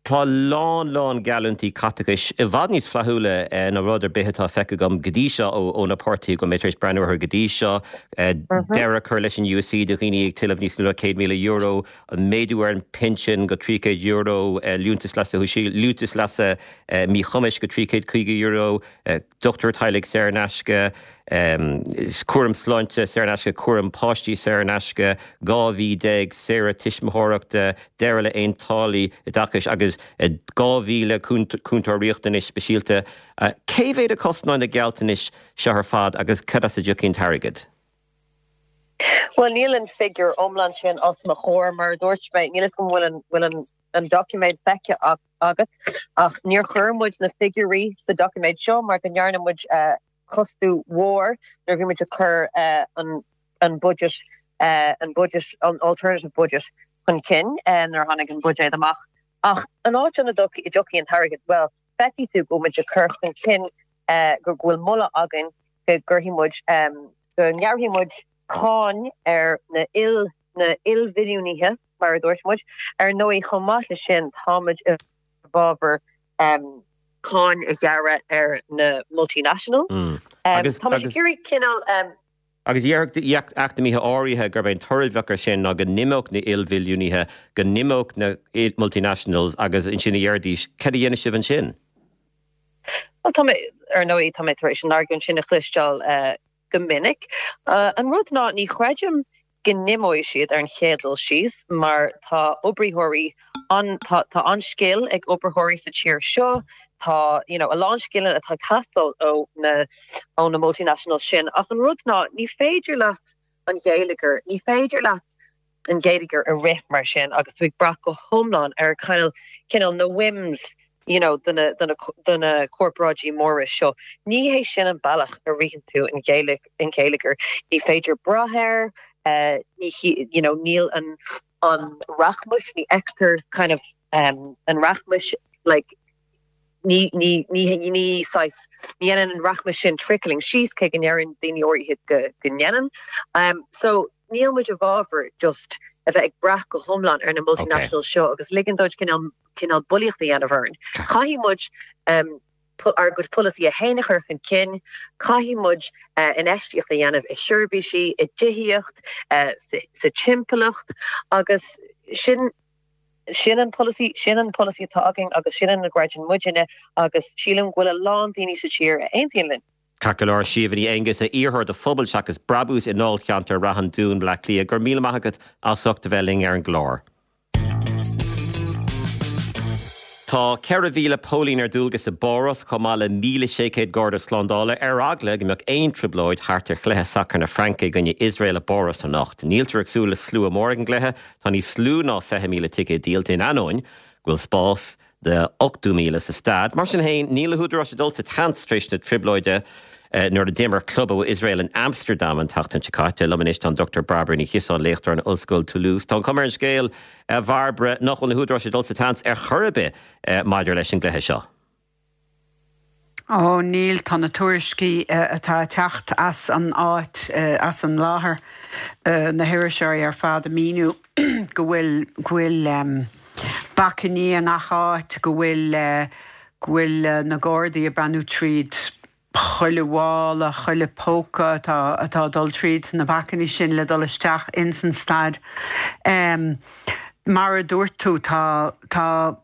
Tá lán lán geallúintí caiteachais i bhfad níos flaithiúla ná rud ar bith atá feicthe agam go dtí seo ó na páirtithe go bhfuil mé tar éis breathnú orthu go dtí seo. Deireadh a chur leis an USC do dhaoine ag tuilleamh níos mó ná €100,000, méadú ar an bpinsean go €300, liúntas leasa shóisialaigh, liúntas leasa míchumais go €350, dochtúir teaghlaigh saor in aisce, cúram sláinte saor in aisce, cúram páistí saor in aisce, 12 mhí saoire tuismitheoireachta, deireadh le haon táillí oideachais agus 2,000 cúntóir riachtanais speisialta. Cé mhéad a chosnóidh na gealltanais seo ar fad agus cad as a dtiocfaidh an t-airgead? Bhuel, níl an figiúr iomlán sin os mo chomhair, mar a dúirt mé, níl fhios agam an bhfuil an doiciméad feicthe agat, ach níor chuir muid na figiúirí sa doiciméad seo mar go ndearna muid costú mhór nuair a bhí muid ag cur an budget, an budget, an alternative budget chun cinn nuair a tháinig an buidéad amach. Ach an áit ina dtiocfaidh an t-airgead, bhuel, feicfidh tú go bhfuil muid ag cur chun cinn go bhfuil moladh againn. go gcuirfidh muid, go ngearrfaidh muid cáin ar na il, na ilmhilliúnaithe, mar a dúirt muid. Ar ndóigh, chomh maith leis sin, táimid i bhfabhar cáin a ghearradh ar na multinationals. Táimid ag iarraidh cineál. Agus déarfadh eacnamaithe áirithe gurb é an toradh a bheadh air sin ná go n-imeodh na ilmhilliúnaithe, go n-imeodh na multinationals agus ansin a dhéarfaidís, cad a dhéanfaidh sibh ansin? Bhuel, tá mé, ar ndóigh, tá mé tar éis an argóint sin a chloisteáil go minic. An rud ná, ní chreidim go n-imeoidh siad ar an chéad dul síos mar tá oibritheoirí an, tá, tá an-scil ag oibritheoirí sa tír seo, tá, you know, a lán scileanna atá ag teastáil ó na, ó na multinationals sin ach an rud ná ní féidir leat an geilleagar, ní féidir leat an geilleagar a rith mar sin agus tú ag brath go hiomlán ar kind of, cineál na whims you know, do na, do na, do na corparáidí móra seo. Ní hé sin an bealach a ritheann tú an geilleagar. Ní féidir brath air, ní, you know, níl an, an rachmas, ní fheictear kind of um, an rachmas like, ní, ní, ní, ní saghas, ní dhéanann an rachmas sin trickling síos cé go ndeireann daoine áirithe go, go ndéanann. Um, so, níl muid i bhfabhar just a bheith ag brath go hiomlán ar na multinationals seo agus ligean dóibh cineál cineál bulaíocht a dhéanamh orainn. Caithfidh muid ár gcuid polasaithe féin a chur chun cinn, caithfidh muid infheistíocht a dhéanamh i seirbhísí, i dtithíocht, sa timpeallacht agus sin sin an polasaí, sin an polasaí atá againn agus sin ina gcreideann muidinne agus sílim go bhfuil a lán daoine sa tír a aontaíonn linn. Ceart go leor, Síomha Ní Aonghusa, iarrthóir do Phobal Seachas Brabús i ndáilcheantar Rath an Dúin, Bleá Cliath, go raibh míle maith agat as ucht a bheith linn ar an gclár. Tá 4,000 póilín ar dualgas i bPáras, chomh maith le 1,600 garda slándála, ar eagla go mbeadh aon trioblóid thart ar chluiche sacair na Fraince i gcoinne Iosrael i bPáras anocht. Níltear ag súil le slua mór ag an gcluiche, tá níos lú ná 20,000 ticéad díolta in ainneoin go bhfuil spás do 80,000 sa staid. Mar sin féin, níl na húdaráis ag dul sa tseans tar éis na trioblóide nuair a d'imir club ó Iosrael in Amsterdam an tseachtain seo caite. Liom anois tá an Dr Bairbre Ní Chiosáin, léachtóir in Ollscoil Toulouse. Tá an chuma ar an scéal, a Bhairbre, nach bhfuil na húdaráis ag dul sa tseans ar chor ar bith maidir leis an gcluiche seo. Ó, níl, tá na tuairiscí atá ag teacht as an áit, as an láthair, na hiriseoirí ar fad ag míniú go bhfuil, go bhfuil bacainní i ngach áit, go bhfuil, go bhfuil na Gardaí ag breathnú tríd chuile mhála, chuile póca atá, atá ag dul tríd na bacainní sin le dul isteach ins an staid. Mar a dúirt tú, tá, tá.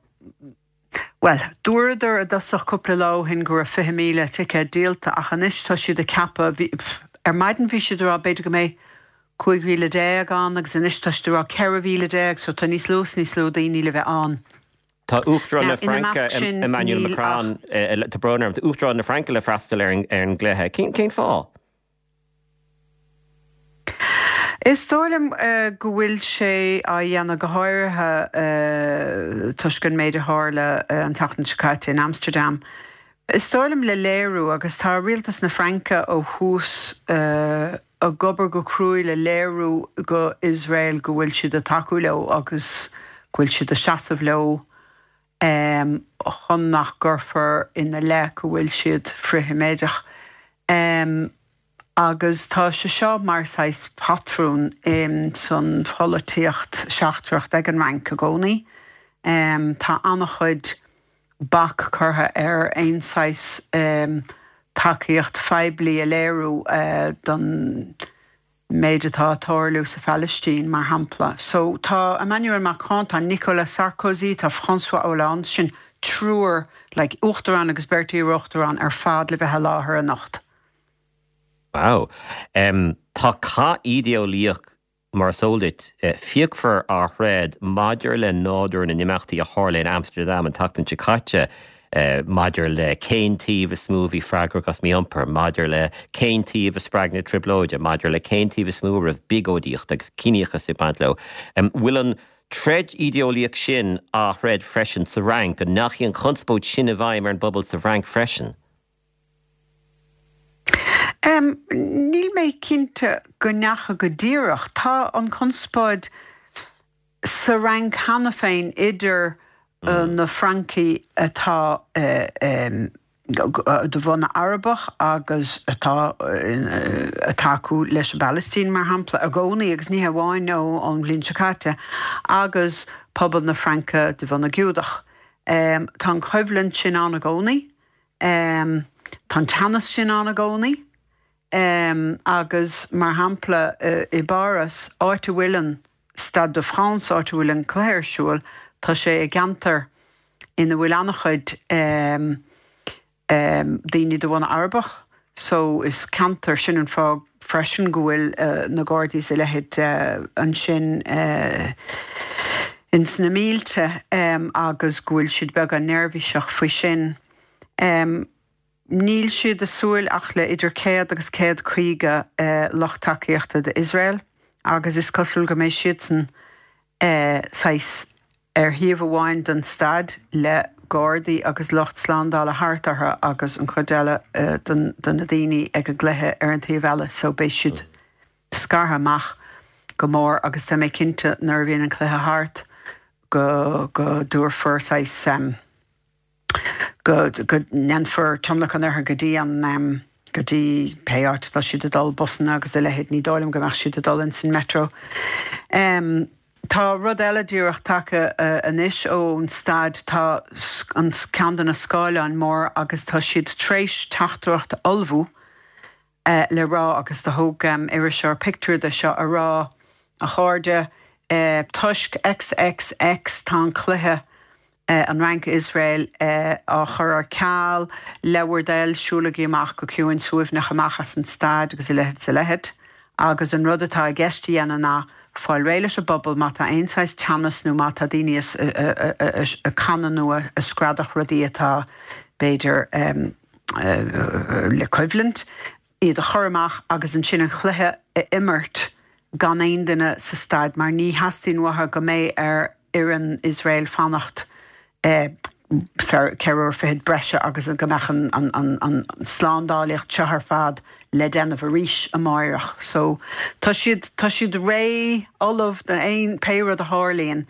Bhuel, dúradar i dtosach cúpla lá ó shin go raibh 20,000 ticéad díolta ach anois tá siad ag ceapadh, bhí, ar maidin bhí siad ag rá b'fhéidir go mbeidh 15,000 ann agus anois tá siad ag rá 14,000 so tá níos lú is níos lú daoine le bheith ann. Tá Uachtarán na Now, ina Fraince, measc sin Emmanuel níl Macron, ach. tá brón orm, tá Uachtarán na Fraince le freastal ar an gcluiche. Cén fáth? Is dóigh liom go bhfuil sé á dhéanamh go háirithe toisc an méid a tharla an tseachtain seo caite in Amsterdam. Is dóigh liom le léiriú, agus tá rialtas na Fraince ó thús ag obair go cruaidh le léiriú go Iosrael go bhfuil siad ag tacú leo agus go bhfuil siad ag seasamh leo chun nach gcuirfear ina leith go bhfuil siad frith-Sheimití. Agus tá sé seo mar saghas patrún san pholaitíocht seachtrach ag an Fhrainc i gcónaí. Tá an-chuid bac curtha ar aon saghas tacaíocht phoiblí a léiriú don méid atá ag tarlú sa Phalaistín, mar shampla. So tá Emmanuel Macron, tá Nicolas Sarkozy, tá François Hollande, sin triúr, like, uachtarán agus beirt iar-uachtarán ar fad le bheith i láthair anocht. Wow. Tá cath ídéolaíoch Mar is eol duit, fíochmhar á throid maidir le nádúr na n-imeachtaí a tharla in Amsterdam an tseachtain seo caite, maidir le cén taobh is mó a bhí freagrach as mí-iompar, maidir le cén taobh a spreag na trioblóide, maidir le cén taobh is mó a raibh biogóidíocht agus ciníochas ag baint leo. An bhfuil an troid ídéolaíoch sin á throid freisin sa Fhrainc? An ndeachaigh an chonspóid sin i bhfeidhm ar an bpobal sa bhFrainc freisin? Níl mé cinnte go ndeachaigh go díreach. Tá an chonspóid sa Fhrainc cheana féin idir na Francaigh atá. de bhunadh Arabach agus atá ag tacú leis an bPalaistín, mar shampla, i gcónaí agus ní hamháin ón bhliain seo caite, agus pobal na Fraince de bhunadh Giúdach. Tá an choimhlint sin ann i gcónaí. Tá an teannas sin ann i gcónaí. Agus, mar shampla, i bPáras, áit a bhfuil an Stade de France, áit a bhfuil an cluiche ar siúl, tá sé i gceantar ina bhfuil an-chuid daoine de bhunadh Arabach so is ceantar, sin an fáth freisin go bhfuil na Gardaí is a leithéid ansin ins na mílte agus go bhfuil siad beagán neirbhíseach faoi sin. Níl siad ag súil ach le idir 100 agus 150 lucht tacaíochta d'Iosrael agus is cosúil go mbeidh siadsan saghas ar thaobh amháin den staid le gardaí agus lucht slándála thart orthu agus an chuid eile de na daoine ag an gcluiche ar an taobh eile so beidh siad scartha amach go mór agus tá mé cinnte nuair a bhíonn an cluiche thart go go dtabharfar saghas go ndéanfar tionlacan orthu go dtí an, go dtí pé áit atá siad ag dul, busanna agus a leithéid, ní dóigh liom go mbeadh siad ag dul ins an metro. Tá rud eile díreach tagtha anois ón staid, tá an ceann de na scáileáin mór agus tá siad tréis teachtaireacht a ullmhú le rá agus do thóg iriseoir pictiúr de seo a rá, a chairde, toisc XXX tá an cluiche an Fhrainc Iosrael á chur ar ceal, le bhur dtoil, siúlaigí amach go ciúin suaimhneach amach as an staid agus a leithéid is a leithéid. Agus an rud atá i gceist a dhéanamh ná fáil réidh leis an bpobal má tá aon saghas teannas nó má tá daoine ag canadh nó ag screadach rudaí atá, b'fhéidir, le coimhlint, iad a chur amach agus ansin an chluiche a imirt gan aon duine sa staid mar ní theastaíonn uathu go mbeidh ar fhoireann Iosrael fanacht ceithre uair fichead breise agus go mbeadh an slándálaíocht seo ar fad le déanamh arís amáireach. So tá siad, tá siad réidh, ullamh do aon, pé rud a tharlaíonn.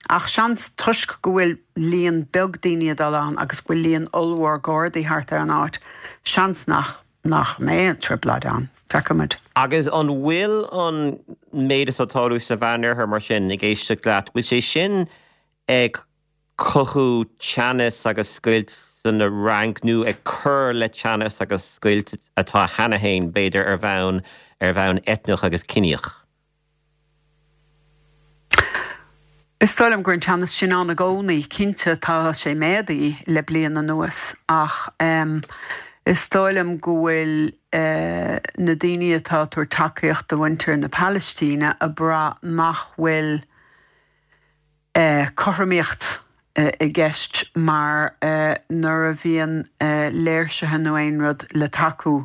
Ach seans, toisc go bhfuil líon beag daoine ag dul ann agus go bhfuil líon ollmhór Gardaí thart ar an áit, seans nach nach mbeidh trioblóid ann. Feicfimid. Agus an bhfuil an méid atá ag tarlú sa Mheánoirthear mar sin, ag éisteacht leat, bhfuil sé sin ag cothú teannas agus scoilt san Fhrainc nó ag cur le teannas agus scoilt atá cheana féin, b'fhéidir, ar bhonn ar bhonn eitneach agus ciníoch? Is dóigh liom go raibh an teannas sin ann i gcónaí. Cinnte, tá sé méadaithe le bliain anuas ach is dóigh liom go bhfuil na daoine atá ag tabhairt tacaíocht do mhuintir na Palaistíne ag brath nach bhfuil cothromaíocht i gceist mar nuair a bhíonn léirsithe nó aon rud le tacú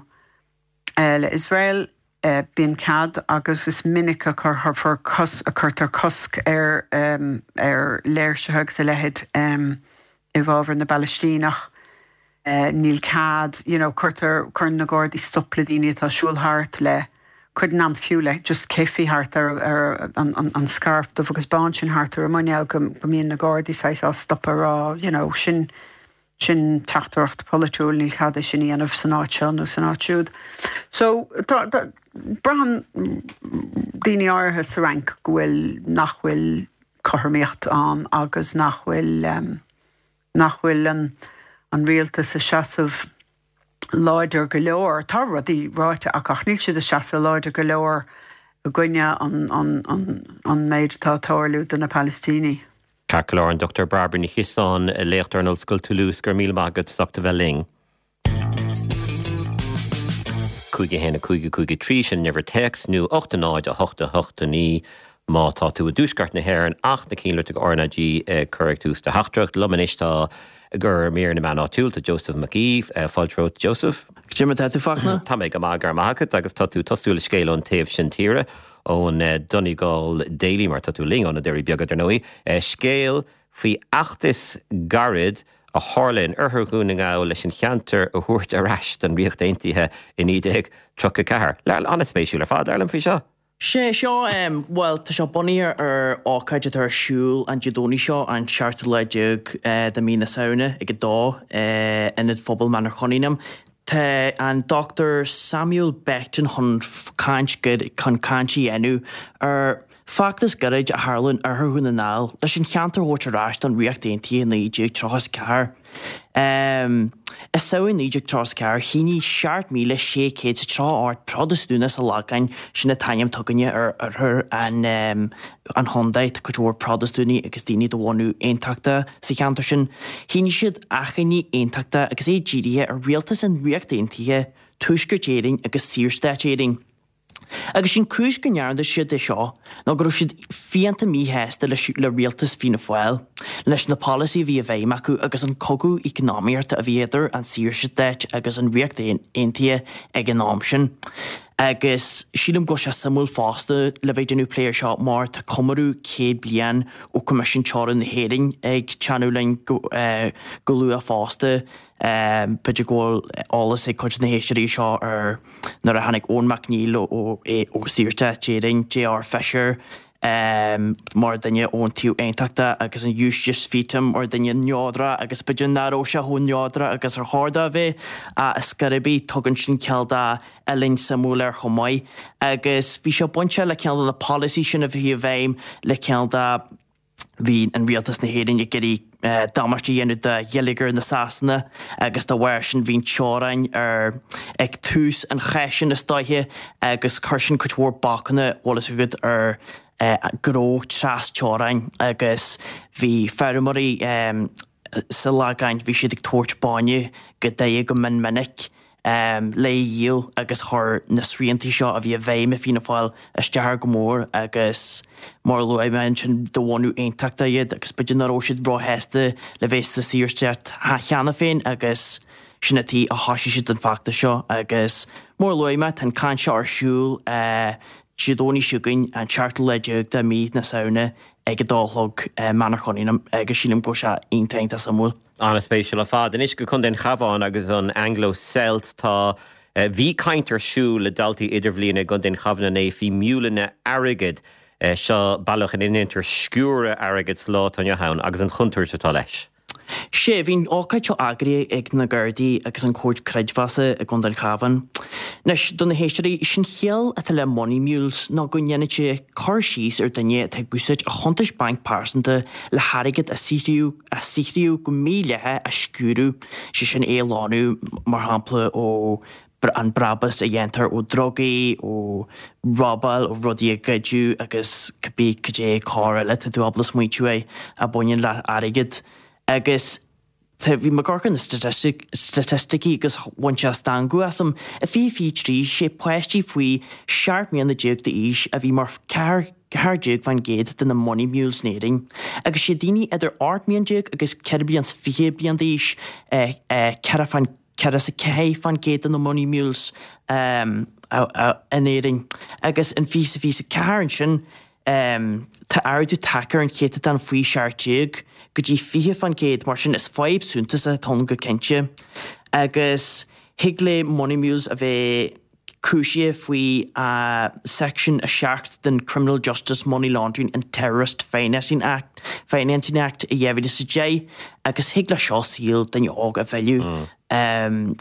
le Iosrael, bíonn cead agus is minic a cuirfear a cuirtear cosc ar ar léirsithe agus a leithéid i bhfabhar na bPalaistíneach. Níl cead, you know, cuirtear, cuireann na Gardaí stop le daoine atá ag siúl thart le, cuid den am fiú le just keffiyeh thart ar ar an an scairf dubh agus bán sin thart ar a muineál go go mbíonn na Gardaí saghas á stopadh a rá, you know, sin Sin teachtaireacht pholaitiúil, níl cead é sin a dhéanamh san áit seo nó san áit siúd. So, tá, tá, braitheann daoine áirithe sa Fhrainc go bhfuil, nach bhfuil cothromaíocht ann agus nach bhfuil, nach bhfuil an, an rialtas ag seasamh láidir go leor. Tá rudaí ráite acu ach níl siad ag seasamh láidir go leor i gcoinne an, an, an, an méid atá ag tarlú do na Palaistínigh. Ceart go leor, an Dr Bairbre Ní Chiosáin, léachtóir in Ollscoil Toulouse, go raibh míle maith agat as ucht a bheith linn. 5 1 5 5 3, sin an uimhir téacs, nó 8 0 8 8 9 má tá tú i dtuaisceart na hÉireann ach na cinnlitreacha RnaG ag cur ag tús do theachtaireacht. Liom anois tá i gcomhair mír na meán áitiúil, tá Joseph Mac Aoidh. Fáilte romhat Joseph. Cad é mar atá tú, Fachtna? Tá mé go maith, go raibh maith agat, agus tá tú ag tosú le scéal ón taobh sin tíre. ón Donegal Daily, mar tá tú linn ó na Doirí Beaga, dar ndóigh, scéal faoi fheachtas gairid a tharla in oirthear Dhún na nGall leis an cheantar a thabhairt ar ais don Ríocht Aontaithe i 1934. An-spéisiúil ar fad, labhair liom faoi seo. Sé seo, bhuel, tá sé bunaithe ar ócáid atá ar siúl an Dé Domhnaigh seo, an seachtú lá déag de mhí na Samhna ag 2, Ionad Phobail Manorcunningham. Tá an Dr Samuel Beckton chun caint chun caint a dhéanamh ar Feachtas gairid a tharla in oirthear Dhún na nGall leis an cheantar a thabhairt ar ais don Ríocht Aontaithe i 1934. I Samhain 1934, shínigh 7,638 Protastúnach sa Lagán, sin an t-ainm atá againne ar oirthear an chontae, tá cuid mhór Protastúnaigh agus daoine de bhunadh aontachtach sa cheantar sin, shínigh siad achainí aontachtach agus é dírithe ar rialtas an Ríocht Aontaithe, Tuaisceart Éireann agus Saorstát Éireann. Agus sé'n cúis go ndearna siad é seo ná go raibh siad fiánta míshásta leis le rialtas Fianna Fáil, leis na polasaí a bhí i bhfeidhm acu agus an cogadh eacnamaíochta a bhí idir an Saorstát agus an Ríocht Aontaithe ag an am sin. Agus sílim go bhfuil sé suimiúil fosta le bheith ag déanamh plé ar seo mar tá comóradh 100 bliain ó Coimisiún Teorann na hÉireann ag teannadh linn go luath fosta. B'fhéidir go bhfuil eolas ag cuid de na héisteoirí seo ar nuair a tháinig Eoin Mac Neill ó Saorstát Éireann, J.R. Fisher mar dhuine ón taobh aontachtach agus an Eustace Feetham mar dhuine neodrach agus b'fhéidir nach raibh sé chomh neodrach agus ar chóir dó a bheith ach ar scor ar bith tugann sin cineál de uillinn suimiúil air chomh maith agus bhí sé bainteach le cineál de na polasaí sin a bhí i bhfeidhm le cineál de Bhí an rialtas na hÉireann ag iarraidh damáiste a dhéanamh do gheilleagar na Sasana agus dá bharr sin bhí an teorainn ar ag tús an cháis sin is dóiche agus chuir sin cuid mhór bacanna, bhfuil fhios agat, ar gnó tras teorainn agus bhí feirmeoirí sa Lagán, bhí siad ag tabhairt bainne go Doire go mion minic le a dhíol agus chuir na sriantaí seo a bhí i bhfeidhm ag Fianna Fáil isteach air go mór agus mar a luaigh mé ansin de bhunadh aontachtach iad agus b'fhéidir nach raibh siad róshásta le bheith sa Saorstát cheana féin agus sin an tuige a thosaigh siad an feachtas seo agus mar a luaigh mé tá an caint seo ar siúl Dé Domhnaigh seo chugainn an seachtú lá déag de mhí na Samhna ag a dó a chlog i Manor Cunningham agus sílim go bhfuil sé iontach iontach suimiúil. An-spéisiúil ar fad. Anois go Contae an Chabháin agus an Anglo Celt. Tá, bhí caint ar siúl le daltaí idirbhliana i gContae an Chabháin inné faoi miúileanna airgid. Seo bealach ina ndéantar sciúradh airgid sa lá atá inniu ann agus an chontúirt atá leis. Sea, bhí an ócáid seo eagraithe ag na Gardaí agus an Comhar Creidmheasa i gContae an Chabháin. Anois, do na héisteoirí, sé'n chiall atá le money mules ná go ndéanann sé cur síos ar duine atá ag úsáid a chuntais bainc pearsanta le hairgead a saothraíodh a saothraíodh go mídhleathach a sciúradh, sé sin é a shlánú, mar shampla, ó an brabús a dhéantar ó drugaí, ó robáil, ó rudaí a goideadh agus cibé cad é coir eile tá tú ábalta smaointiú air a bhaineann le airgead. Agus tá, bhí mé ag amharc ar na staitisticí agus bhain sé stangadh asam. I 2023, sé páistí faoi 17 mbliana d'aois a bhí mar 14% de na money mules in Éirinn. Agus sé daoine idir 18 mbliana agus 24 bliain bliain d'aois 4 4% de na money mules in Éirinn agus in 2024 ansin tá ardú tagtha ar an chéatadán faoi 17 go dtí 20%, mar sin is fadhb suntasach atá ann go cinnte. Agus thig le money mules a bheith cúisithe faoi Section 7 den Criminal Justice Money Laundering and Terrorist Financing Act, Financing Act i 2010 agus thig leis seo saol duine óg a mhilleadh,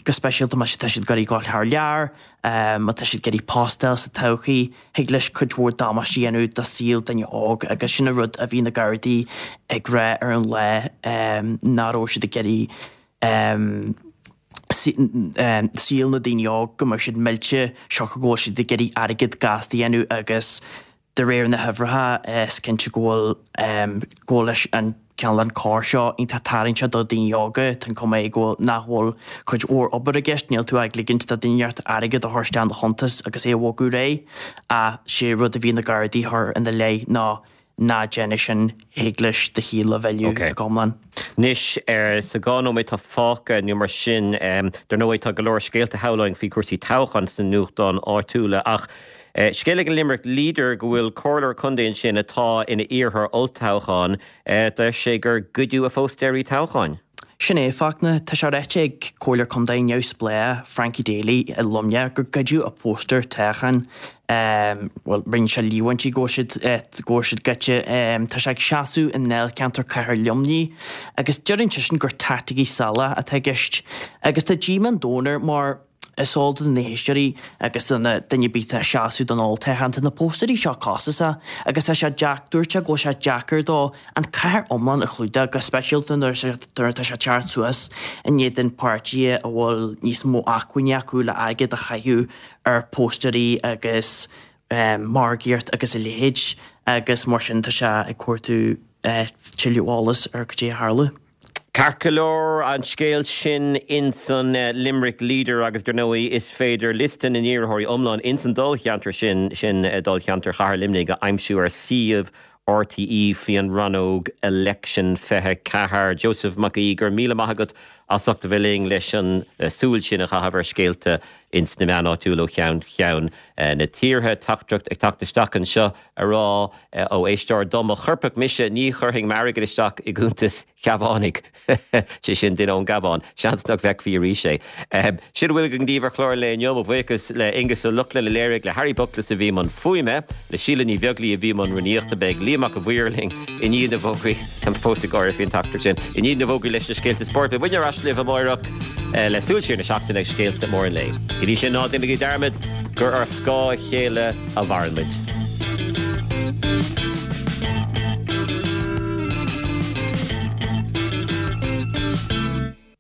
go speisialta má tá siad ag iarraidh dul thar lear, má tá siad ag iarraidh post a fháil sa todhchaí, thig leis cuid mhór damáiste a dhéanamh do saol duine óg agus sin an rud a bhí na Gardaí ag rá ar an lá nach raibh siad ag iarraidh saol na daoine óg, go mbeadh siad millte, siocair go bhfuil siad ag iarraidh airgead gasta a dhéanamh agus de réir na huimhreacha is cinnte go bhfuil go bhfuil leis an cineál an coir seo iontach tarraingteach do daoine óga, tá an cuma é go bhfuil nach bhfuil cuid mhór obair i gceist, níl tú ag ligint do duine inteacht airgead a chur isteach in do chuntas agus é a bhogadh ar aghaidh ach sé rud a bhí na Gardaí a chur ina leith ná Ná déan é sin, thig leis do shaol a mhilleadh go hiomlán. Anois, sa 2 nóiméad atá fágtha nó mar sin, dar ndóigh tá go leor scéalta shamhlóinn faoi chúrsaí toghcháin sna nuachtáin áitiúla ach scéal ag an Limerick Leader go bhfuil comhairleoir contae ansin atá ina iarrthóir olltoghcháin, deir sé gur goideadh a phóstaeirí toghcháin. Sin é, Fachtna. Tá sé ráite ag Comhairleoir Contae neamhspleách Frankie Daly i Luimneach gur goideadh a phóstaer toghcháin. Bhuel, rinne sé líomhaintí go bhfuil siad, go bhfuil siad goidte. Tá sé ag seasamh i ndáilcheantar Chathair Luimnigh agus deireann seisean gur taicticí salach atá i gceist. Agus tá díomá an domhain air mar is eol do na héisteoirí agus do na duine ar bith atá ag seasamh don olltoghchán, tá na póstaerí seo costasach agus tá sé deac, dúirt sé go bhfuil sé deacair dó an cathair iomlán a chlúdach, go speisialta nuair atá sé ag teacht suas in éadan páirtithe a bhfuil níos mó acmhainní acu le airgead a chaitheamh ar póstaerí agus margaíocht agus a leithéid agus mar sin tá sé ag cuartú tuilleadh eolas ar cad é a tharla. Ceart go leor, an scéal sin ins an Limerick Leader agus dar ndóigh is féidir liosta na n-iarrthóirí iomlán ins an dáilcheantar sin, sin dáilcheantar Chathair Luimnigh, a aimsiú ar suíomh RTÉ faoi an rannóg Election 24. Joseph Mac Aoidh, go raibh míle maith agat as ucht a bheith linn leis an súil sin a chaitheamh ar scéalta ins na meáin áitiúil ó cheann ceann na tíre. Teachtaireacht ag teacht isteach anseo a rá ó éisteoir dá mba choirpeach mise ní chuirfinn m'airgead isteach i gcuntas Chabhánaigh, sé sin duine ón gCabhán, seans nach bhfeicfí arís é. Sin a bhfuil againn daoibh ar chlár an lae inniu. Mo bhuíochas le Aonghus Ó Lochlainn a léirigh, le Harry Buckless a bhí i mbun fuaime, le Síle Ní Bheaglaoi a bhí i mbun rúnaíochta. Beidh Liam Mac a' Mhaoir linn i ndiaidh na bhfógraí, táim fós ag gáire faoin teachtaireacht sin, i ndiaidh na bhfógraí leis na scéalta spóirt. Beidh muidne ar ais libh amáireach le súil siar na seachtaine agus scéalta móra an lae. Go dtí sin, ná déanaigí dearmad gur ar scáth a chéile a mhaireann muid.